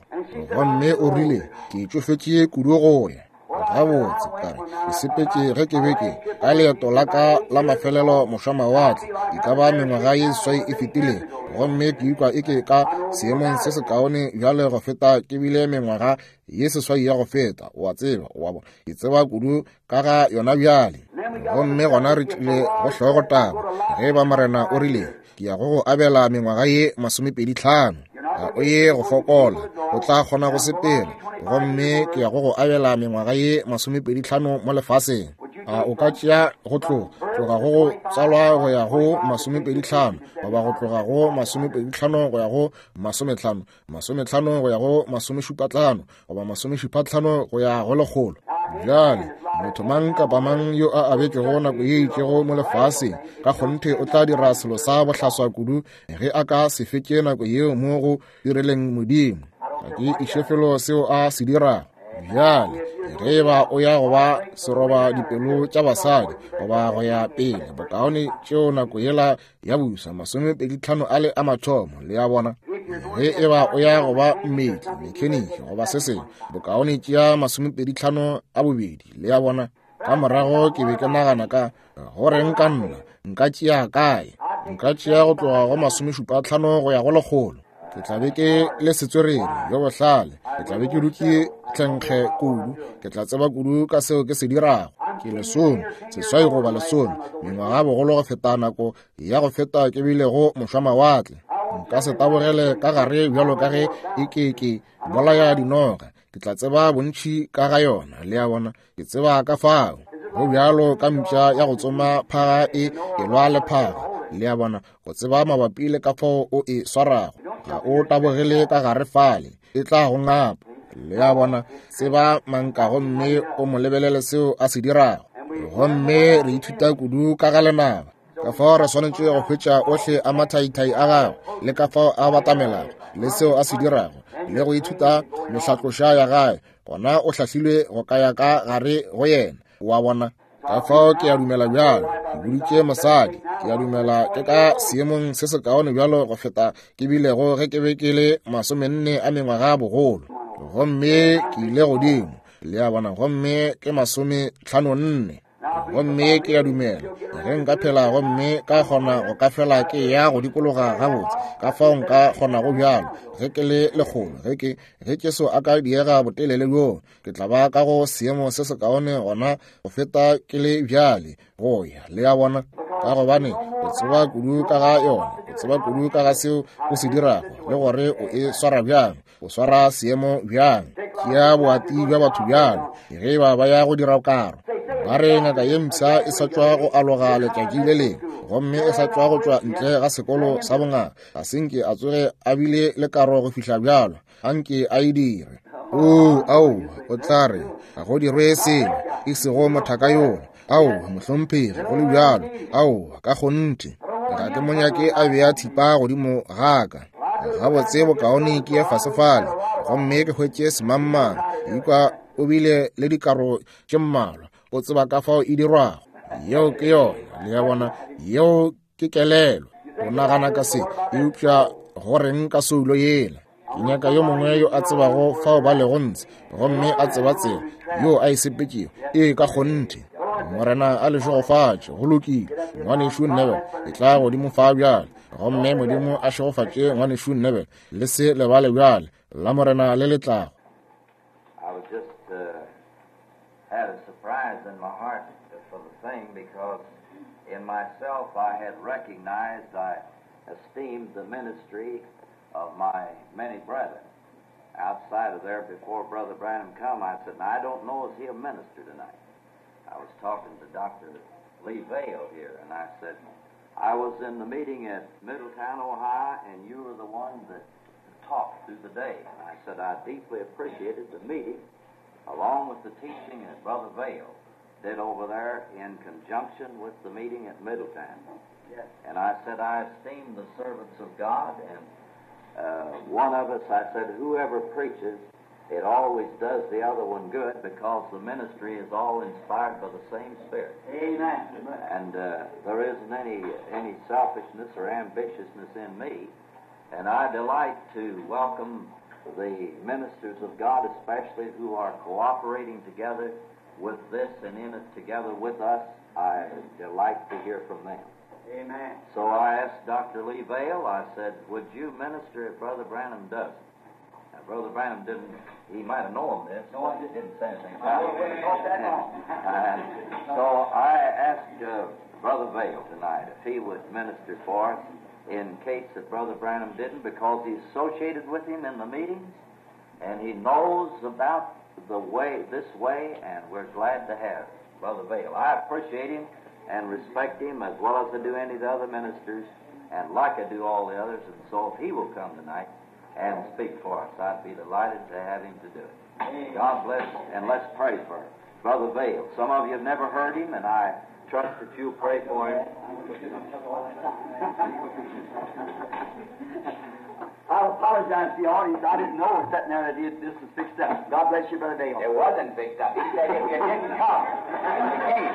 Gomme o rile ke tšofetše kudu go ya. Gabotse, ka re, ke sepetše ge ke be ke ka leeto la ka la mafelelo mošwamawatle, e ka ba mengwaga ye seswai e fetileng, gomme ke ikwa e ke ka seemong se sekaone bjale go feta ke bile mengwaga ye seswai ya go feta. O a tseba, o a bona, ke tseba kudu ka ga yona bjale. Gomme gona re tlile go hlogotaba, ge ba Morena o rile, ke ya go go abela mengwaga ye masomepedi tlhano. Ga o ye go fokola, o tla kgona go sepela, gomme ke ya go go abela mengwaga ye masomepedi tlhano mo lefaseng. A o ka tšea go tloga tloga go go tsalwa go ya go masomepedi tlhano, goba go tloga go masomepedi tlhano go ya go masometlhano, masometlhano go ya go masomešupatlhano, goba masomešupatlhano go ya go lekgolo. Bjale motho mang kapa mang yo a abetšego nako ye itšego mo lefaseng ka kgonthe o tla dira selo sa bohlaswa kudu ge a ka se fetše nako yeo mo go direleng Modimo. Ga ke iše felo seo a se dirago. Bjale ge e ba o ya go ba seroba dipelo tša basadi goba go ya pele, bokaone tšeo nako yela ya busa masomepedi tlhano a le a mathomo, le a bona. Ge e ba o ya go ba mmetli, mekheniki goba se sengwe, bokaone tšea masomepedi tlhano a bobedi, le a bona. Ka morago ke be ke nagana ka goreng ka nna nka tšea kae, nka tšea go tloga go masomešupa tlhano go ya go lekgolo. Ke tla be ke le setswerere yo bohlale, ke tla be ke dutše tlhenkge kudu, ke tla tseba kudu ka seo ke se dirago. Ke lesome, seswai goba lesome, mengwaga bogolo go feta nako ya go feta ke bilego mošwamawatle. Nka se tabogele ka gare bjalo ka ge e ke ke bolaya dinoga, ke tla tseba bontši ka ga yona, le a bona, ke tseba ka fao. Go bjalo ka mpša ya go tsoma phaga e elwa le phaga, le a bona, go tseba mabapi le ka fao o e swarago. Ga o tabogele ka gare fale, e tla go ngapa, le a bona. Tseba manka gomme o mo lebelele seo a se dirago. Gomme re ithuta kudu ka ga lenaba, ka fao re swanetše go hwetša ohle a mathaithai a gagwe, le ka fao a batamelago, le seo a se dirago, le go ithuta mehlatloša ya gae. Gona o hlahlilwe go ka ya ka gare go yena, wa bona. Ka fao ke a dumela bjalo, ke boditše mosadi, ke a dumela ke ka seemong se sekaone bjalo go feta ke bilego ge ke be ke le masomenne a mengwaga bogolo. Gomme ke ile godimo, le a bona, gomme ke masometlhano nne. Gomme ke a dumela ge nka phela gomme ka kgona go ka fela ke ya go dikologa gabotse, ka fao nka kgonago bjalo ge ke le lekgolo, ge ke ge Jesu a ka diega botelele bjoo, ke tla ba ka go seemo se sekaone gona go feta ke le bjale go ya, le a bona. Ka gobane o tseba kudu ka ga yona, o tseba kudu ka ga seo o se dirago, le gore o e swara bjang, o swara seemo bjang. Tšea boati bja batho bjalo ge ba ba ya go dira karo. Ba re ngaka ye mpsha e sa tšwa go aloga letšatši le lengwe, gomme e sa tšwa go tšwa ntle ga sekolo sa bongaka, ga se nke a tsoge a bile le karo go fihla bjalo, a nke a e dire. Oo, ao, o tla re ga go dirwe selo, e sego mothaka yola. Ao, mohlomphegi, go le bjalo, ao, ka kgonthe ga ke mo nyake a bea thipa godimo ga ka. Gabotse bokaone ke ye fase fale gomme ke hwetše semangmang. Ikwa o bile le dikaro tše mmalwa, o tseba ka fao e dirwago. Yeo ke yona, le a bona, yeo ke kelelo. O nagana ka se, eupša go reng ka soulo yela? Ke nyaka yo mongwe yo a tsebago fao ba lego ntshe, gomme a tseba tsela yo a e sepetšego. Ee, ka kgonthe. Morena a le šegofatše. Go lokile, ngwanešu Neville, e tla godimo fa bjale. Gomme Modimo a šegofatše ngwanešu Neville. Le se lebale bjale la Morena le le tlago. I was just uh, had a surprise in my heart for the thing, because in myself I had recognized, I esteemed the ministry of my many brethren. Outside of there, before Brother Branham come, I said, now, I don't know, is he a minister tonight? I was talking to Doctor Lee Vayle here, and I said, I was in the meeting at Middletown, Ohio, and you were the one that talked through the day. And I said, I deeply appreciated the meeting, along with the teaching that Brother Vayle did over there in conjunction with the meeting at Middletown. Yes. And I said, I esteem the servants of God, and uh, one of us, I said, whoever preaches, it always does the other one good, because the ministry is all inspired by the same Spirit. Amen. And uh, there isn't any, any selfishness or ambitiousness in me. And I delight to welcome the ministers of God, especially who are cooperating together with this and in it together with us. I delight to hear from them. Amen. So I asked Doctor Lee Vayle, I said, would you minister if Brother Branham doesn't? Now, Brother Branham didn't, he might have known this, No, I but didn't. didn't say anything I about wouldn't it. have thought that long. And so I asked uh, Brother Vayle tonight if he would minister for us in case that Brother Branham didn't, because he's associated with him in the meetings and he knows about the way, this way, and we're glad to have Brother Vayle. I appreciate him and respect him as well as I do any of the other ministers, and like I do all the others, and so if he will come tonight and speak for us, I'd be delighted to have him to do it. God bless, and let's pray for Brother Vayle. Some of you have never heard him, and I trust that you'll pray for him. I apologize to the audience. I didn't know sitting there that it, this was fixed up. God bless you, Brother Vayle. It wasn't fixed up. He said if you didn't come, you came.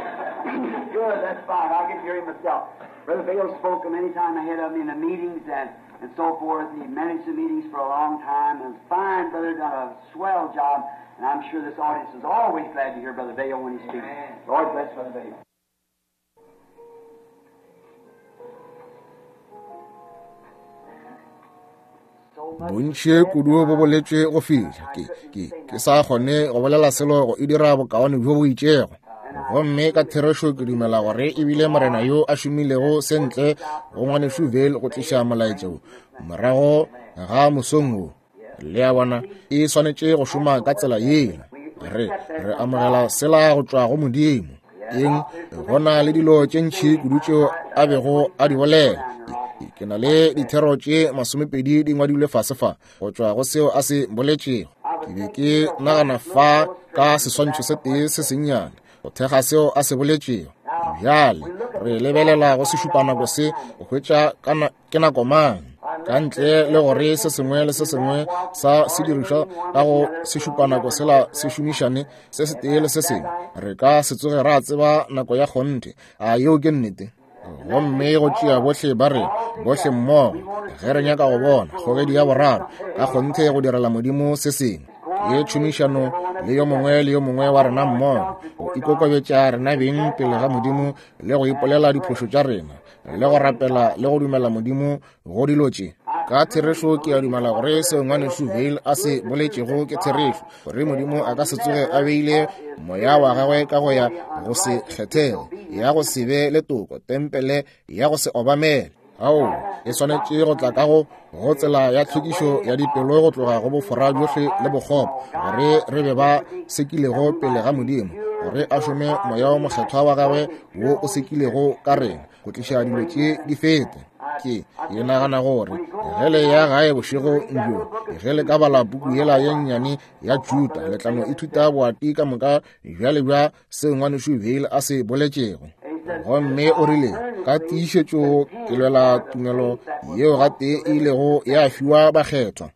Good, that's fine. I'll get to hear him myself. Brother Vayle spoke many times ahead of me in the meetings and, and so forth. He managed the meetings for a long time. And fine brother, done a swell job. And I'm sure this audience is always glad to hear Brother Vayle when he speaks. Amen. Lord bless Brother Vayle. Bontši kudu bo boletšwe go fihla ke ke ke sa kgone go bolela selo go e dira bokaone bjo bo itšego. Gomme ka therešo ke dumela gore ebile morena yo a šomilego sentle go ngwanešu Vayle go tliša molaetša wo morago ga mosong wo. Le a bona, e swanetše go šoma ka tsela yela. Re re amogela sela go tšwa go Modimo. Eng, go na le dilo tše ntši kudu tšeo a bego a di bolela. Ke na le dithero tše masomepedi di ngwadilwe fase fa go tšwa go seo a se boletšego. Ke be ke nagana fa ka seswantšho se tee se sennyane go thekga seo a se boletšego. Bjale re lebelela go sešupanako se go hwetša ke nako mang, ka ntle le gore se sengwe le se sengwe sa sedirišwa ka go sešupanako sela se šomišane se setee le se sengwe, re ka se tsoge ra tseba nako ya kgonthe. A yeo ke nnete? Gomme go tšea bohle ba re bohle mmogo ge re nyaka go bona kgogedi ya boraro ka kgonthe go direla Modimo se sengwe. Ke tšhomišano le yo mongwe le yo mongwe wa rena mmogo go ikokobetša rena beng pele ga Modimo le go ipolela diphošo tša rena le go rapela le go dumela Modimo go dilo tše. Ka therešo ke a dumela gore seo ngwanešu Vayle a se boletšego ke therešo, gore Modimo a ka se tsoge a beile moya wa gagwe ka go ya go se kgethege, ya go se be le toko, tempele ya go se obamele. Ao, e swanetše go tla ka go go tsela ya tlhwekišo ya dipelo go tloga go bofora bjohle le bokgopo, gore re be ba sekilego pele ga Modimo, gore a šome moya wo mokgethwa wa gagwe wo o sekilego ka rena go tliša dilo tše di fete. Ke ke nagana gore ge le ya gae bošego bjo, ge le ka bala puku yela ye nnyane ya Juda, le tla no ithuta boati ka moka bjale bja seo ngwanešu Vayle a se boletšego. Gomme o rile, ka tiišetšo ke lwela tumelo yeo gatee e ilego ya fiwa bakgethwa,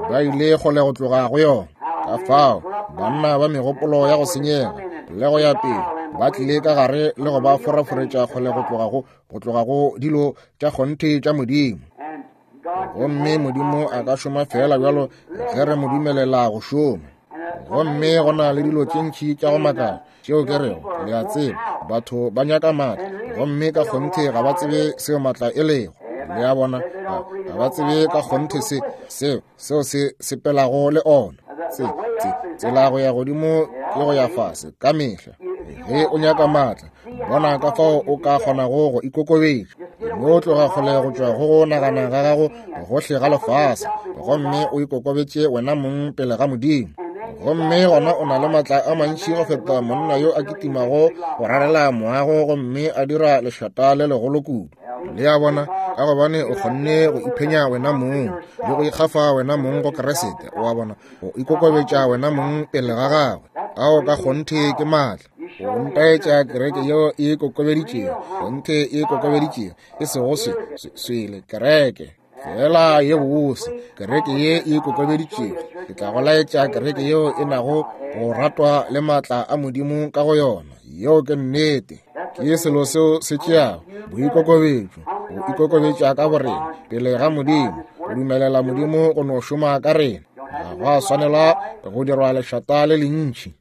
ba ile kgole go tloga go yona. Ka fao banna ba megopolo ya go senyega le go ya pele ba tlile ka gare le go ba foraforetša kgole go tloga go go tloga go dilo tša kgonthe tša Modimo. Gomme Modimo a ka šoma fela bjalo ge re mo dumelela go šoma. Gomme go na le dilo tše ntši tša go makala tšeo ke rego, le a tseba, batho ba nyaka maatla, gomme ka kgonthe ga ba tsebe seo maatla e lego. Le a bona, ga ba tsebe ka kgonthe se seo seo se sepelago le ona. Se tsela go ya godimo ke go ya fase ka mehla. Ge o nyaka maatla, bona ka fao o ka kgonago go ikokobetša. No tloga kgole go tšwa go go nagana ga gago gohle ga lefase, gomme o ikokobetše wena mong pele ga Modimo. Gomme gona o na le maatla a mantši go feta monna yo a kitimago go rarela moago gomme a dira lešata le legolo kudu. Le a bona, ka gobane o kgonne go iphenya wena mong le go ikgafa wena mong go Keresete. O a bona, go ikokobetša wena mong pele ga gagwe. Ao ka kgonthe ke maatla. Go ntaetša kereke yeo e ikokobeditšego, kgonthe e ikokobeditšego, e sego se swele kereke fela ye bose, kereke ye e ikokobeditšego. Ke tla go laetša kereke yeo e nago go ratwa le maatla a Modimo ka go yona. Yeo ke nnete. Ke selo seo se tšeago boikokobetšo, go ikokobetša ka borena pele ga Modimo, go dumelela Modimo go no šoma ka rena. Ga go a swanela go dirwa lešata le lentši.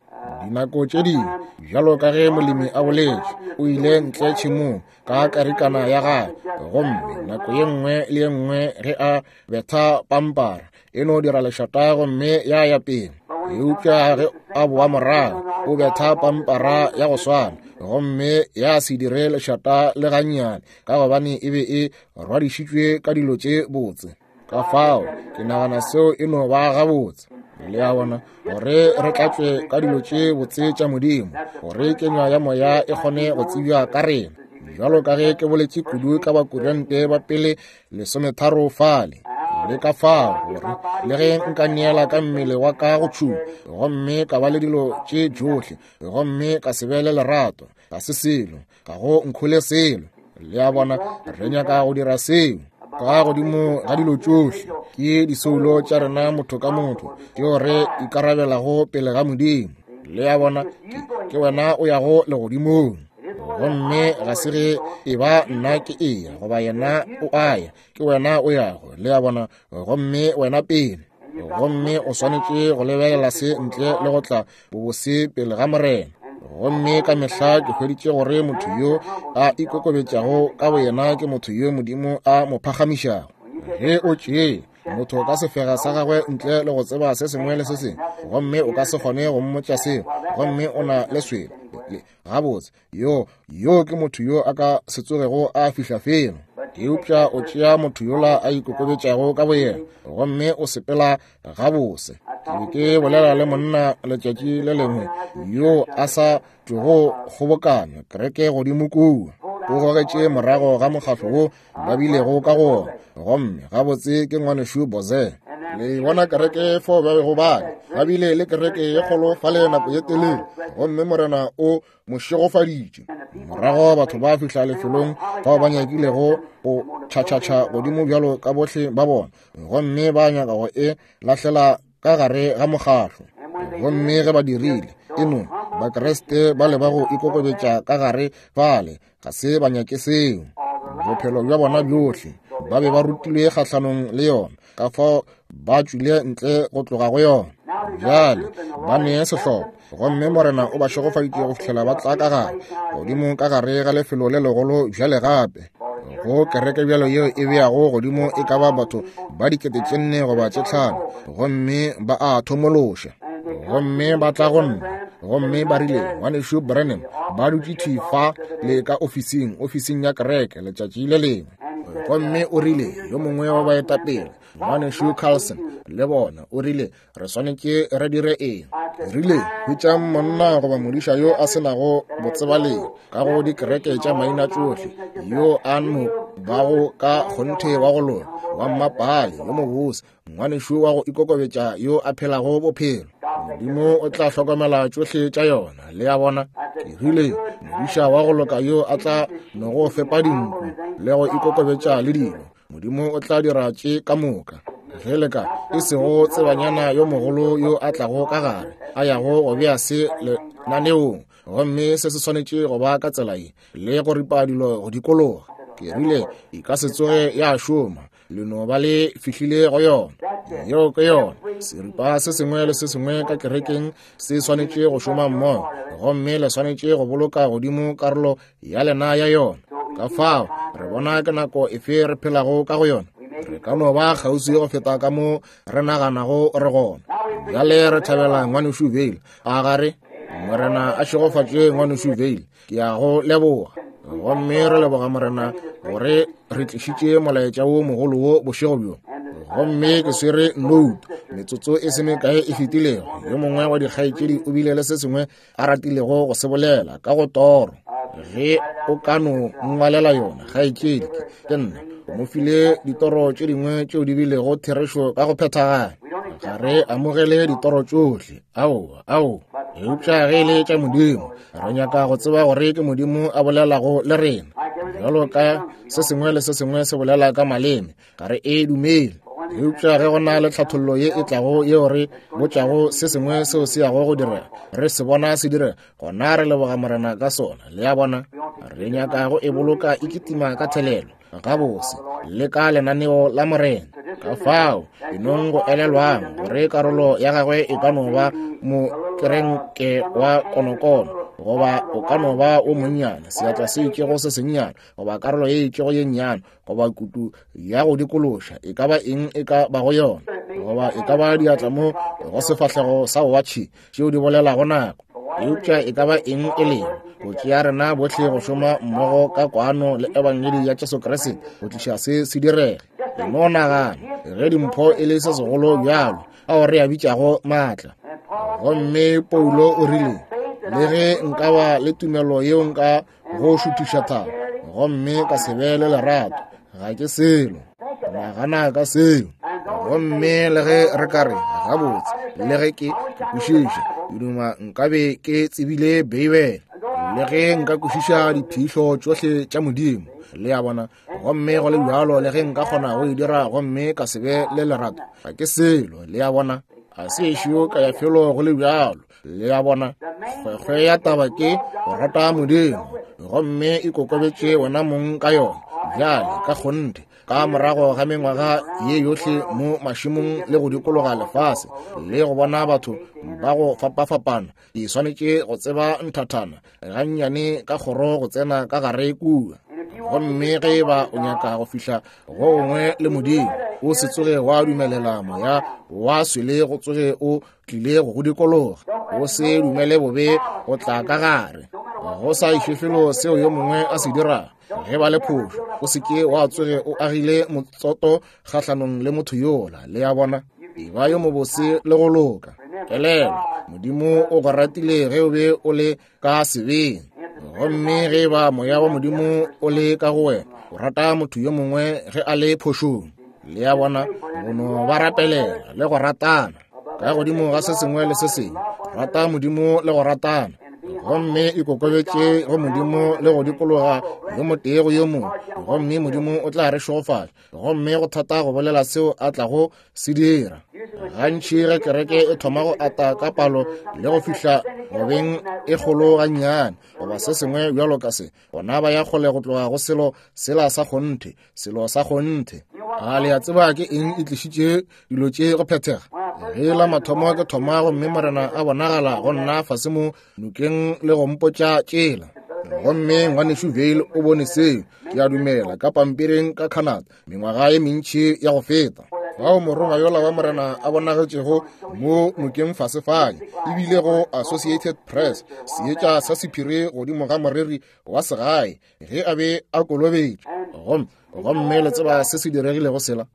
Dinako tše dingwe, bjalo ka ge molemi a boletše, o ile ntle tšhemong ka karikana ya gagwe, gomme nako ye nngwe le ye nngwe ge a betha pampara e no dira lešata gomme ya ya pele. Eupša ge a boa morago, o betha pampara ya go swana, gomme ya se dire lešata le gannyane, ka gobane e be e rwadišitšwe ka dilo tše botse. Ka fao ke nagana seo e no ba gabotse. Le a bona, gore re tlatšwe ka dilo tše botse tša Modimo, gore kenywa ya moya e kgone go tsebja ka rena. Bjalo ka ge ke boletše kudu ka Bakorinte ba pele lesometharo fale, le ka fao gore le ge nka neela ka mmele wa ka go tšhuma, gomme ka ba le dilo tše tšohle, gomme ka se be le lerato, ga se selo, ga go nkhole selo. Le a bona, re nyaka go dira seo. Ka godimo ga dilo tšohle ke disoulo tša rena motho ka motho tšeo re ikarabelago pele ga Modimo. Le a bona, ke wena o yago legodimong, gomme ga se ge e ba nna ke eya goba yena o aya, ke wena o yago. Le a bona, gomme wena pele, gomme o swanetše go lebelela se ntle le go tla bobose pele ga Morena. Gomme ka mehla ke hweditše gore motho yo a ikokobetšago ka boyena ke motho yo Modimo a mo phagamišago. Ge o tšee motho ka sefega sa gagwe ntle le go tseba se sengwe le se sengwe, gomme o ka se kgone go mmotša seo, gomme o na le swele gabotse, yo yo ke motho yo a ka se tsogego a fihla felo. Eupša o tšea motho yola a ikokobetšago ka boyena, gomme o sepela gabose. Ke be ke bolela le monna letšatši le lengwe yo a sa tšogo kgobokanya kereke godimo kua, o gogetše morago ga mokgahlo wo ba bilego ka go ona, gomme gabotse ke ngwanešu Boze. Le bona kereke fao ba bego ba le, ba bile le kereke ye kgolo fale nako ye telele, gomme Morena o mo šegofaditše. Morago batho ba fihla lefelong fao ba nyakilego go tšhatšhatšha godimo bjalo ka bohle ba bona, gomme ba nyaka go e lahlela ka gare ga mokgahlo. Gomme ge ba dirile, e no Bakriste ba le ba go ikokobetša ka gare fale, ga se ba nyake seo. Bophelo bja bona bjohle ba be ba rutilwe kgahlanong le yona, ka fao ba tšwile ntle go tloga go yona. Bjale ba nee sehlopha, gomme Morena o ba šegofaditše go fihlela ba tla ka gare godimo ka gare ga lefelo le legolo bjale gape go kereke bjalo yeo e beago godimo e ka ba batho ba dikete tše nne goba tše tlhano, gomme ba a thomološa. Gomme ba tla go nna, gomme ba rile, ngwanešu Branham, ba dutše thwi fa le ka ofising, ofising ya kereke letšatši le lengwe. Gomme o rile, yo mongwe wa baetapele, ngwanešu Carlson, le bona, o rile, re swanetše re dire eng? Rile, hwetšang monna goba modiša yo a se nago botsebalegi ka go dikereke tša maina tšohle, yo a no bago ka kgonthe wa go loka, wa mmapale, yo mobose, ngwanešu wa go ikokobetša yo a phelago bophelo. Modimo o tla hlokomela tšohle tša yona. Le a bona, ke rile, modiša wa go loka yo a tla no go fepa dinku le go ikokobetša le dilo, Modimo o tla dira tše ka moka. Ge le ka e sego tsebanyana yo mogolo yo a tlago ka gare, a yago go bea se lenaneong, gomme se se swanetše go ba ka tsela ye, le go ripa dilo go dikologa. Ke rile, e ka se tsoge ya šoma, le no ba le fihlile go yona. Yeo ke yona. Seripa se sengwe le se sengwe ka kerekeng se swanetše go šoma mmogo, gomme le swanetše go boloka godimo karolo ya lena ya yona. Ka fao re bona ke nako efe re phelago ka go yona. Re ka no ba kgauswi go feta ka mo re naganago re gona. Bjale re thabela ngwanešu Vale. A gare Morena a šegofatše ngwanešu Vale. Ke ya go leboga. Gomme re leboga Morena gore re tlišitše molaetša wo mogolo wo bošego bjo. Gomme ke swere note metsotso e se mekae e fetilego. Yo mongwe wa dikgaetšedi o bile le se sengwe a ratilego go se bolela ka go toro. Ge o ka no ngwalela yona, kgaetšedi, ke nna o mo file ditoro tše dingwe tšeo di bilego therešo ka go phethagala. Ga re amogele ditoro tšohle, aowa, aowa, eupša ge e le tša Modimo, re nyaka go tseba gore ke Modimo a bolelago le rena. Bjalo ka se sengwe le se sengwe se bolela ka maleme, ga re e dumele. Eupša ge go na le tlhathollo ye e tlago yeo re botšago se sengwe seo se yago go direga, re se bona se direga, gona re leboga Morena ka sona. Le a bona, re nyaka go e boloka e kitima ka thelelo gabose le ka lenaneo la Morena. Ka fao e nong go elelwang gore karolo ya gagwe e ka no ba mokerenke wa konokono, goba o ka no ba o monnyane, seatla se itšego se sennyane, goba karolo ye itšego ye nnyane, goba kutu ya go dikološa, e ka ba eng e ka bago yona, goba e ka ba diatla mo go sefahlego sa watšhe tšeo di bolelago nako. Eupša e ka ba eng e lego, go tšea rena bohle go šoma mmogo ka kwano le ebangedi ya Jesu Kriste go tliša se se direge. E no nagana ge dimpho e le se segolo bjalo ao re a bitšago maatla. Gomme Paulo o rile, le ge nka ba le tumelo yeo nka go šuthiša thaba, gomme ka se be le lerato, ga ke selo. Nagana ka seo. Gomme le ge re ka re gabotse, le ge ke kwešiša, ke duma nkabe ke tsebile Beibele, le ge nka kwešiša diphihlo tšohle tša Modimo, le a bona, gomme go le bjalo le ge nka kgona go e dira gomme ka se be le lerato, ga ke selo, le a bona. A se ešo ka ya felo go le bjalo, le a bona. Kgwekgwe ya taba ke go rata Modimo, gomme ikokobetše wena mong ka yona. Bjale ka kgonthe, ka morago ga mengwaga ye yohle mo mašemong le go dikologa lefase le go bona batho ba go fapafapana, ke swanetše go tseba nthathana gannyane ka kgoro go tsena ka gare kua. Gomme ge ba o nyaka go fihla go gongwe le Modimo, o se tsoge wa dumelela moya wa swele go tsoge o tlile go go dikologa. O se dumele bobe go tla ka gare, go sa iše felo seo yo mongwe a se dirago. Ge ba le phošo, o se ke wa tsoge o agile motsoto kgahlanong le motho yola, le a bona. E ba yo mobose le go loka. Elelwa, Modimo o go ratile ge o be o le ka sebeng. Gomme ge ba moya wa Modimo o le ka go wena, o rata motho yo mongwe ge a le phošong, le a bona, go no ba rapelela le go ratana. Ka godimo ga se sengwe le se sengwe, rata Modimo le go ratana. Gomme ikokobetše go Modimo le go dikologa yo motee go yo mongwe, gomme Modimo o tla re šegofatša. Gomme go thata go bolela seo a tlago se dira. Gantši ge kereke e thoma go ata ka palo le go fihla gobeng e kgolo gannyane, goba se sengwe bjalo ka se, gona ba ya kgole go tloga go selo sela sa kgonthe, selo sa kgonthe. A le a tseba ke eng e tlišitše dilo tše go phethega? Ge la mathomo ke thoma, gomme Morena a bonagala go nna fase mo nokeng le go mpotša tšela. Gomme ngwanešu Vale o bone seo, ke a dumela, ka pampiring ka Canada mengwaga ye mentši ya go feta. Fao morongwa yola wa Morena a bonagetšego mo nokeng fase fale, ebile go Associated Press, seetša sa sephiri godimo ga moreri wa segae ge a be a kolobetšwe. Gomme gomme le tseba se se diregilego sela?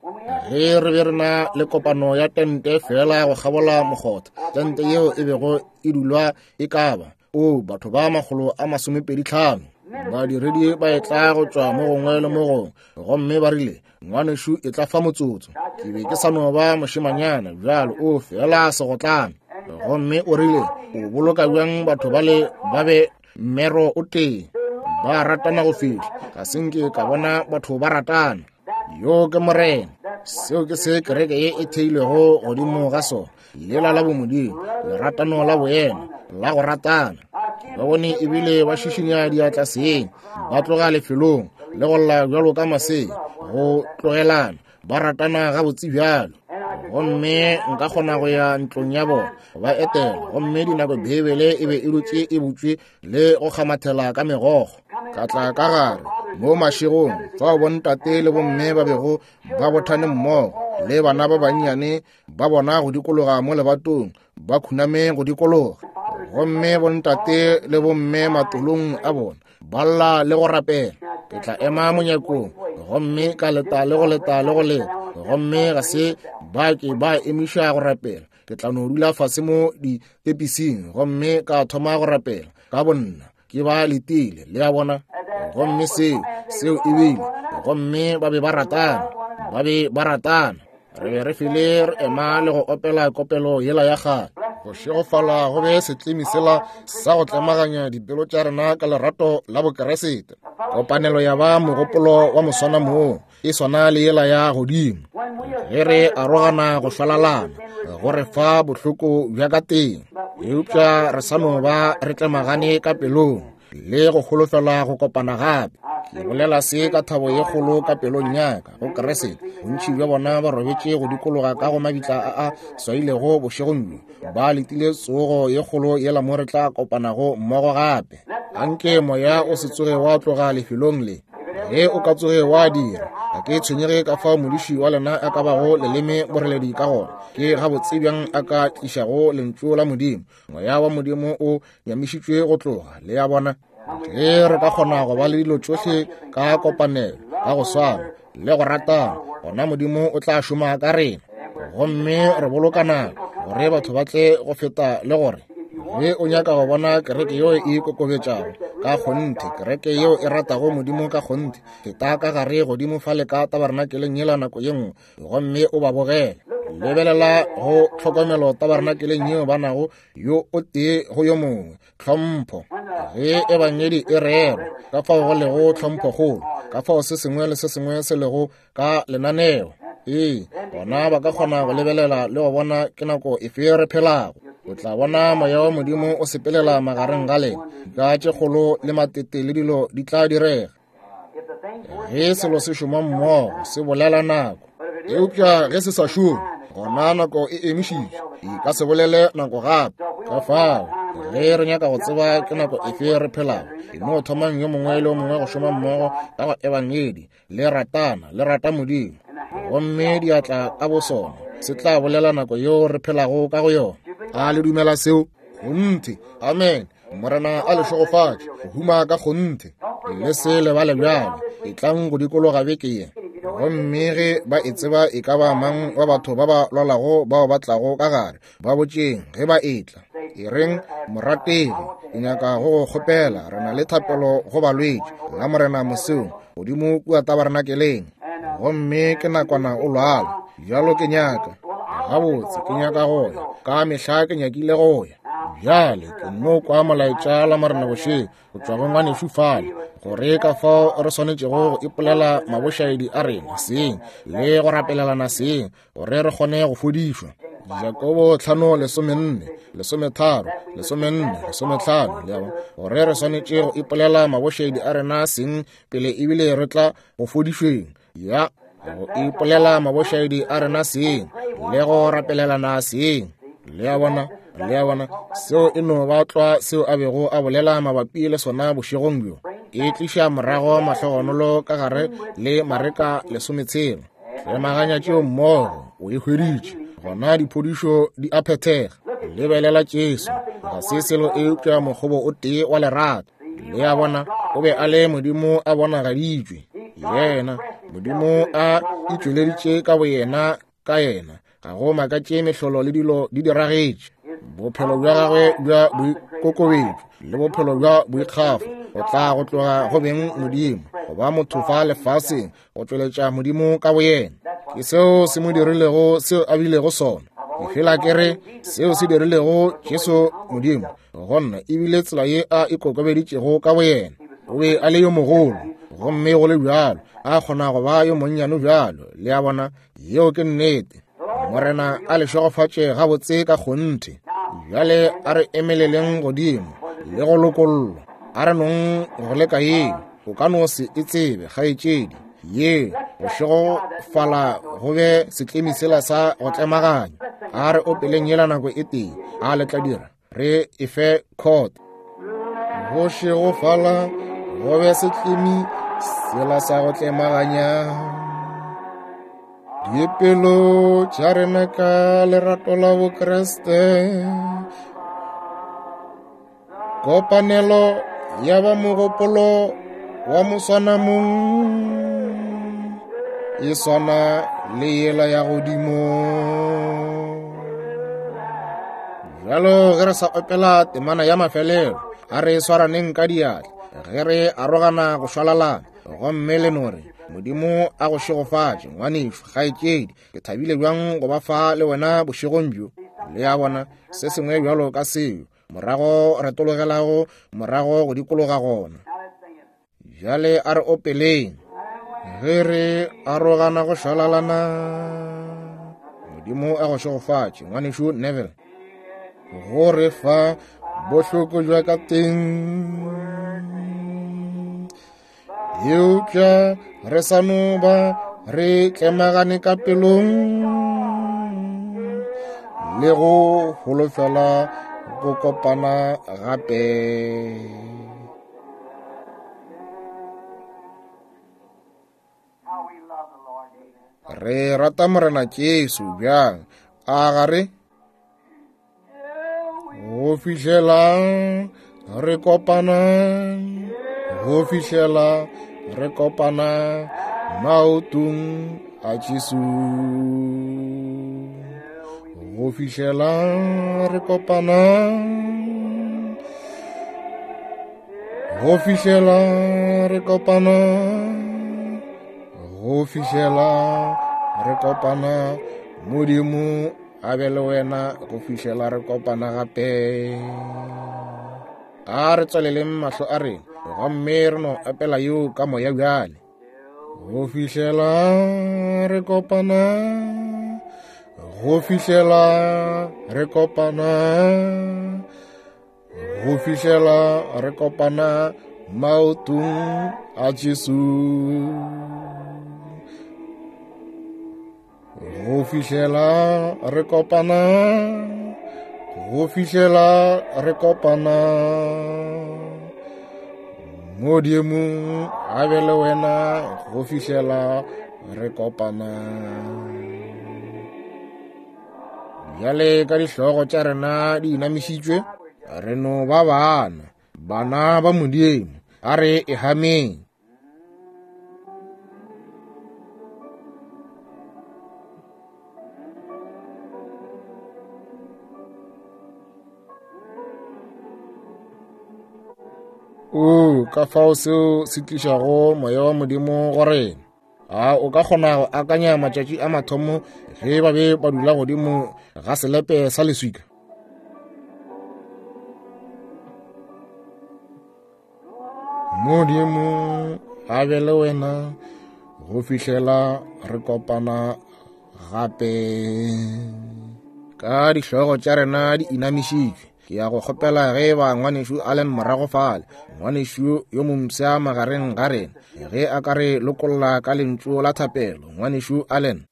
Ge re be re na le kopano ya tente fela go kgabola mokgotha, tente yeo e bego e dulwa e ka ba o batho ba makgolo a masomepedi tlhano. Badiredi ba etla go tšwa mo gongwe le mo gongwe, gomme ba rile, ngwanešu e tla fa motsotso. Ke be ke sa no ba mošemanyana bjalo, o fela segotlana. Gomme o rile, o boloka bjang batho bale ba be mmero o tee, ba ratana go fihla, ga se nke ka bona batho ba ratana. Yo ke Morena. Seo ke se kereke ye e theilwego godimo ga sona, lela la bomodimo, leratano la boena, la go ratana. Ba bone ebile ba šišinya diatla seng, ba tloga lefelong le go lla bjalo ka masea, go tlogelana, ba ratana gabotse bjalo. Gomme nka kgona go ya ntlong ya bona ba etela, gomme dinako Beibele e be e dutše e butšwe le go kgamathela ka megokgo. Ka tla ka gare mo mašegong fao bontate le bomme ba bego ba bothane mmogo le bana ba bannyane ba bona go dikologa mo lebatong, ba khuname go dikologa. Gomme bontate le bomme matolong a bona ba lla le go rapela. Ke tla ema monyakong gomme ka leta le go leta le go leta, gomme ga se ba ke ba emiša go rapela. Ke tla no dula fase mo ditepising gomme ka thoma go rapela ka bonna, ke ba letile, le a bona. Gomme seo seo e bile, gomme ba be ba ratana, ba be ba ratana. Re be re fele re ema le go opela kopelo yela ya kgale, go šegofala go be setlemi sela sa go tlemaganya dipelo tša rena ka lerato la bokeresete. Kopanelo ya ba mogopolo wa moswana moo e swana le yela ya godimo. Ge re arogana go šwalalana, go re fa bohloko bja ka teng, eupša re sa no ba re tlemagane ka pelong le go holofela go kopana gape. Ke bolela se ka thabo ye kgolo ka pelong ya ka go Kriste. Bontši bja bona ba robetše go dikologa ka go mabitla a a swailego bošegong bjo, ba letile tsogo ye kgolo yela mo re tla kopanago mmogo gape. Anke moya o se tsoge wa tloga lefelong le. Ge o ka tsoge wa dira, ga ke tshwenyege ka fao modiši wa lena a ka bago leleme boreledi ka gona, ke gabotse bjang a ka tlišago lentšu la Modimo. Moya wa Modimo o nyamišitšwe go tloga, le a bona. Ge re ka kgona go ba le dilo tšohle ka kopanelo, ka go swana le go ratana, gona Modimo o tla šoma ka rena. Gomme re boloka nako gore batho ba tle go feta le gore ge o nyaka go bona kereke yeo e ikokobetšago ka kgonthe, kereke yeo e ratago Modimo ka kgonthe, feta ka gare godimo fale ka tabernakeleng yela nako ye nngwe gomme o ba bogele. Lebelela go tlhokomelo tabernakeleng yeo ba nago yo o tee go yo mongwe, tlhompho. Ge ebangedi e rerwa, ka fao go lego tlhomphokgolo, ka fao se sengwe le se sengwe se lego ka lenaneo. Ee, gona ba ka kgona go lebelela le go bona ke nako efe re phelago. O tla bona moya wa Modimo o sepelela magareng ga lena. Dika tše kgolo le matete le dilo di tla direga. Ge selo se šoma mmogo, se bolela nako. Eupša ge se sa šome, gona nako e emišitšwe, e ka se bolele nako gape. Ka fao, ge re nyaka go tseba ke nako efe re phelago, e no thomang yo mongwe le yo mongwe go šoma mmogo ka go ebangedi, le ratana, le rata Modimo. Gomme diatla ka bosona se tla bolela nako yeo re phelago ka go yona. A le dumela seo? Kgonthe. Amen. Morena a le šegofatše go huma ka kgonthe. Le se lebale bjalo. E tlang go dikologa beke ye. Gomme ge ba e tseba e ka ba mang wa batho ba ba lwalago bao ba tlago ka gare, ba botšeng ge ba etla. E reng, morategi, ke nyaka go go kgopela, re na le thapelo go balwetši la Morena mosong godimo kua tabernakeleng. Gomme ke nakwana o lwala, bjalo ke nyaka gabotse, ke nyaka go ya ka mehla, ke nyakile go ya. Bjale ke no kwa molaetša la Morena bošego go tšwa go ngwanešu fale, gore ka fao re swanetšego go ipolela mabošaedi a rena seng le go rapelelana seng gore re kgone go fodišwa. Jakobo tlhano lesomenne, lesometharo, lesomenne, lesometlhano, le a bona, gore re swanetše go ipolela mabošaedi a rena seng pele ebile re tla go fodišweng. Ya go ipolela mabošaedi a rena seng le go rapelelana seng. Le a bona, le a bona, seo e no ba tlwa seo a bego a bolela mabapi le sona bošegong bjo. E tliša morago mahlogonolo ka gare le Mareka lesometshela. Tlemaganya tšeo mmogo, o e hweditše. Gona diphodišo di a phethega. Lebelela Jesu, ga se selo eupša mokgobo o tee wa lerato. Le a bona, o be a le Modimo a bonagaditšwe. Yena, Modimo a itšweleditše ka boyena ka yena. Ga go makatše mehlolo le dilo di diragetše. Bophelo bja gagwe bja boikokobetšo le bophelo bja boikgafo go tla go tloga go beng Modimo, go ba motho fa lefaseng, go tšweletša Modimo ka boyena. Ke seo se mo dirilego seo a bilego sona. Ke fela ke re seo se dirilego Jesu Modimo gonna ebile tsela ye a ikokobeditšego ka boyena. O be a le yo mogolo, gomme go le bjalo a kgona go ba yo monnyane bjalo. Le a bona, yeo ke nnete. Morena a le šegofatše gabotse ka kgonthe. Bjale a re emeleleng godimo le go lokollwa. A re nong go leka yeo, o ka no se e tsebe kgaetšedi. Ye go šegofala go be setlemi sela sa go tlemaganya. A re opeleng yela nako e tee, a le tla dira, re e fe court. Go šegofala go be setlemi sela sa go tlemaganya dipelo tša rena ka lerato la Bokriste. Kopanelo ya ba mogopolo wa moswanamong e swana le yela ya godimo. Bjalo ge re sa opela temana ya mafelelo, a re swaraneng ka diatla ge re arogana go šwalalana, gomme le no re, Modimo a go šegofatše ngwanešu, kgaetšedi. Ke thabile bjang go ba fa le wena bošegong bjo. Le a bona, se sengwe bjalo ka seo. Morago re tologelago morago go dikologa gona. Bjale a re opeleng ge re arogana go šwalalana. Modimo a go šegofatše ngwanešu Neville, go re fa bohloko jwa ka teng. Eupša re sa no ba re tlemagane ka pelong le go holofela go kopana gape. Re rata Morena Jesu bjang, a ga re? Go fihlela re kopana, go fihlela re kopana maotong a Jesu. Go fihlela re kopana, go fihlela re kopana, go fihlela re kopana. Modimo a be le wena go fihlela re kopana gape. A re tswaleleng mahlo a rena gomme re no opela yeo ka moya bjale. Go fihlela re kopana, go fihlela re kopana, go fihlela re kopana maotong a Jesu. Go fihlela re kopana, go fihlela re kopana. Modimo a be le wena go fihlela re kopana. Bjale ka dihlogo tša rena di inamišitšwe, re no ba bana, bana ba Modimo, a re e hameng. O ka fao seo se tlišago moya wa Modimo go rena. A o ka kgona go akanya matšatši a mathomo ge ba be ba dula godimo ga selepe sa leswika? Modimo a be le wena go fihlela re kopana gape. Ka dihlogo tša rena di inamišitšwe, ke ya go kgopela ge ba ngwanešu Allen morago fale, ngwanešu yo mompsha magareng ga rena, ge a ka re lokolla ka lentšu la thapelo. Ngwanešu Allen.